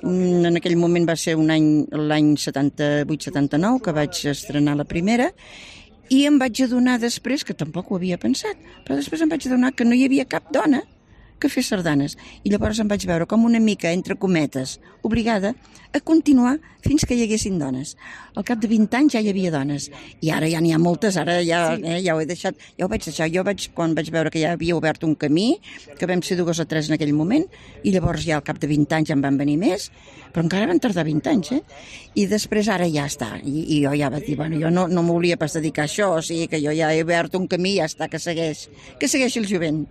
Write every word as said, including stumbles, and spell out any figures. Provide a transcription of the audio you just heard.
Mm, En aquell moment va ser un any, l'any setanta-vuit setanta-nou, que vaig estrenar la primera, i em vaig adonar després, que tampoc ho havia pensat, però després em vaig adonar que no hi havia cap dona que fes sardanes. I llavors em vaig veure com una mica, entre cometes, obligada a continuar fins que hi haguessin dones. Al cap de vint anys ja hi havia dones. I ara ja n'hi ha moltes, ara ja, eh, ja ho he deixat, ja ho vaig deixar. Jo vaig, quan vaig veure que ja havia obert un camí, que vam ser dues o tres en aquell moment, i llavors ja al cap de vint anys en van venir més, però encara van tardar vint anys, eh? I després ara ja està. I, i jo ja vaig dir, bueno, jo no, no m'hauria pas dedicar a això, o sigui que jo ja he obert un camí i ja està, que segueix, que segueixi el jovent.